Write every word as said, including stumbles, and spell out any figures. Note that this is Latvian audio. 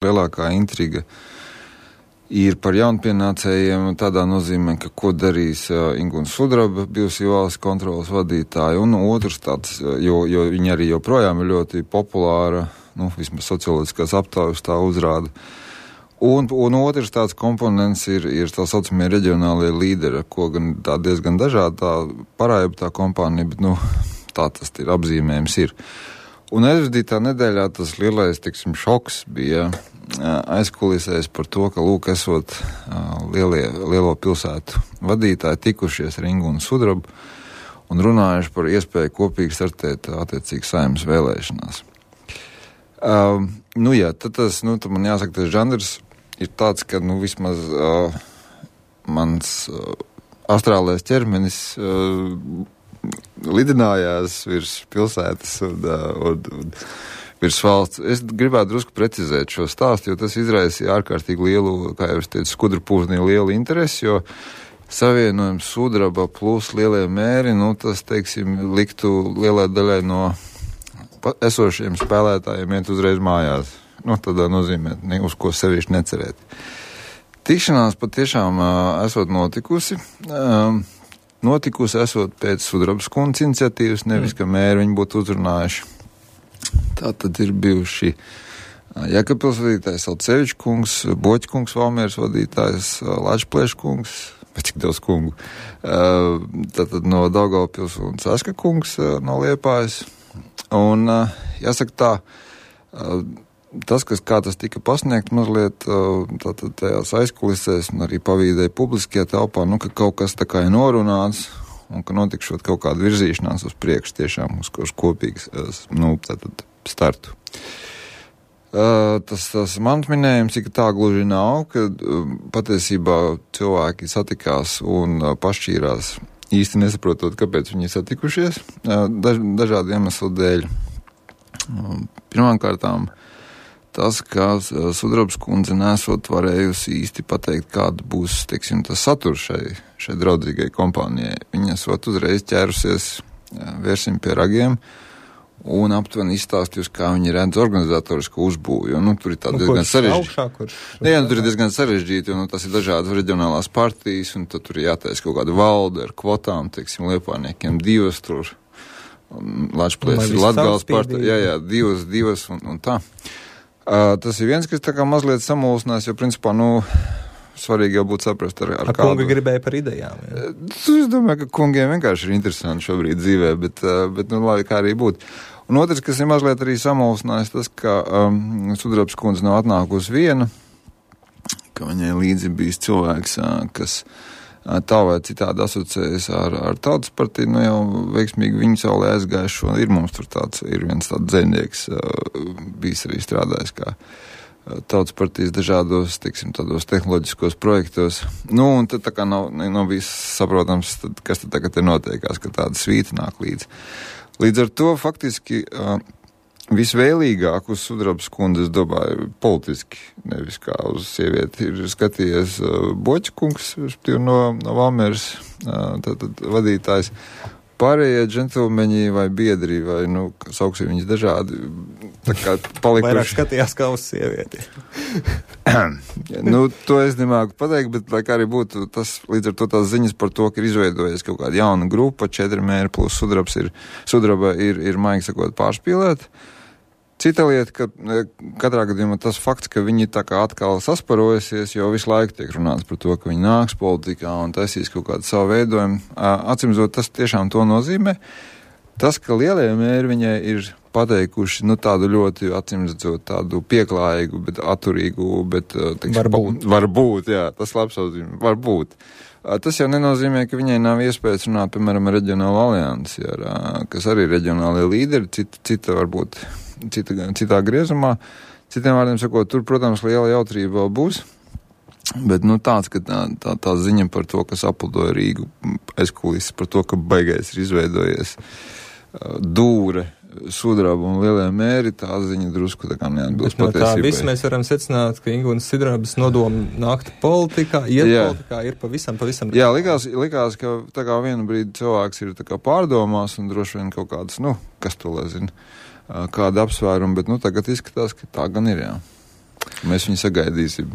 lielākā intriga ir par jaunpienācējiem tādā nozīmē, ka ko darīs uh, Ingūna Sudraba, bijusī valsts kontrolas vadītāja, un otrs tāds, jo, jo viņa arī joprojām ir ļoti populāra, nu, vismaz socioloģiskās aptaujas tā uzrāda. Un, un otrs tāds komponents ir, ir tā saucamie reģionālie līderi, ko gan tā diezgan dažādi tā parāja tā kompānija, bet, nu, tā tas ir apzīmējums ir. Un aizvadītā nedēļā tas lielais, tiksim, šoks bija aizkulisēs par to, ka, lūk, esot lielie, lielo pilsētu vadītāji tikušies ar Ingūnu Sudrabu un runājuši par iespēju kopīgi startēt attiecīgi Saeimas vēlēšanās. Uh, nu jā, tad tas, nu, tad man jāsaka, tas žanrs ir tāds, ka, nu, vismaz uh, mans uh, astrālais ķermenis uh, lidinājās virs pilsētas un, uh, un, un virs valsts. Es gribētu drusku precizēt šo stāstu, jo tas izraisīja ārkārtīgi lielu, kā jau es teicu, skudru pūznī lielu interesi, jo savienojums Sudraba plus lielie mēri, nu, tas, teiksim, liktu lielai daļai no esošiem spēlētājiem iet uzreiz mājās. Nu, tādā nozīmē, ne, uz ko sevišķi necerēt. Tikšanās patiešām uh, esot notikusi. Um, notikusi esot pēc Sudrabas kundzes iniciatīvas, nevis, ka mēri viņu būtu uzrunājuši. Tā tad ir bijuši Jēkabpils vadītājs Alcevičs kungs, Boķa kungs, Valmieras vadītājs, Lačplēša kungs, bet cik daudz kungu. Tātad no Daugavpils un Saska kungs no Liepājas. Un jāsaka tā, tas, kas kā tas tika pasniegt mazliet tātad tajās aizkulisēs un arī pavīdēja publiskajā telpā, nu, ka kaut kas tā kā ir norunāts, un ka notikšot kaut kāda virzīšanās uz priekšu tiešām uz, uz kopīgas, nu, tātad startu. Uh, tas, tas mans minējums, ka tā gluži nav, ka uh, patiesībā cilvēki satikās un uh, pašķīrās īsti nesaprotot, kāpēc viņi ir satikušies, uh, daž, dažādu iemeslu dēļ. Uh, pirmkārtām, tas, ka Sudrabas kundze nesot varējusi īsti pateikt, kāda būs, teiksim, tas saturs šai, šai draudzīgai kompānijai. Viņa esot uzreiz ķērusies, vērsim pie ragiem, un aptuveni izstāstījusi, kā viņi redz organizatorisku uzbūvi, jo, nu, tur ir tā nu, diezgan sarežģīti. Nē, nu, tur ir diezgan sarežģīti, jo, nu, tas ir dažādas reģionālās partijas, un tad tur ir jātaisa kaut kāda valde ar kvotām, teiksim, liepājniekiem divas tur, Lačplēs ir Latgales partija, jā, jā, divas, divas, un, un tā. Uh, tas ir viens, kas tā kā mazliet samulsinās, jo principā, nu, svarīgi jau būtu saprast ar, ar a, kādu. Kungi gribēja par idejām, jā? Es domāju, ka kungiem vienkārši ir interesanti šobrīd dzīvē, bet, uh, bet nu, lai kā arī būtu. Un otrs, kas ir mazliet arī samulsinājis, tas, ka um, Sudrabas kundze nav atnākusi viena, ka viņai līdzi bijis cilvēks, uh, kas tā vai citādi asociējas ar, ar Tautas partiju, nu jau veiksmīgi viņu saulē aizgājušo, ir mums tur tāds, ir viens tāds dzejnieks, bijis arī strādājis kā Tautas partijas dažādos, teiksim, tādos tehnoloģiskos projektos. Nu, un tad tā kā nav, nav bijis saprotams, tad, kas tad tagad ir notiekās, ka tāda svīta nāk līdz. Līdz ar to faktiski visvēlīgāk uz Sudrabas kundzes domāju politiski, nevis kā uz sievieti, ir skatījies uh, Boķa kungs, no, no Valmieras uh, tātad vadītājs. Pārējie džentlmeņi vai biedri, vai, nu, sauksim viņus dažādi, tā kā palikuši. Vairāk skatījās kā uz sievieti. Nu, to es nemāku pateikt, bet, lai kā arī būtu, tas līdz ar to tās ziņas par to, ka ir izveidojies kaut kāda jauna grupa, četri mēri plus Sudrabs ir, Sudraba ir, ir maigi sakot pārspīlēt. Cita lieta, ka katrā gadījumā tas fakts, ka viņi tā kā atkal sasparojusies, jo visu laiku tiek runāts par to, ka viņi nāks politikā un taisīs kaut kādu savu veidojumu. Atcīmredzot, tas tiešām to nozīmē. Tas, ka lielie mēri viņai ir pateikuši, nu, tādu ļoti, acīmredzot, tādu pieklājīgu, bet atturīgu, bet, teiksim, varbūt. Varbūt, jā, tas labs apzīmē, varbūt. Tas jau nenozīmē, ka viņai nav iespējas runāt, piemēram, ar reģionālu aliansi, ar, kas arī ir reģionālie līderi, cita, cita varbūt, cita, citā griezumā. Citiem vārdiem sakot, tur, protams, liela jautrība vēl būs, bet, nu, tāds, ka tā, tā, tā ziņa par to, kas apludoja Rīgu aizkulises, par to, ka baigais ir izveidojies dūre, Sudraba un lielie mēri, tā ziņa drusku tā kā neatbilst no patiesībai. Tā viss mēs varam secināt, ka Ingūnas Sudrabas nodoma nākt politikā, iet jā. Politikā ir pavisam, pavisam. Jā, likās, likās, ka tā kā vienu brīdi cilvēks ir tā kā pārdomās un droši vien kaut kādas, nu, kas to lai zina, kāda apsvēruma, bet, nu, tagad izskatās, ka tā gan ir, jā. Mēs viņu sagaidīsim.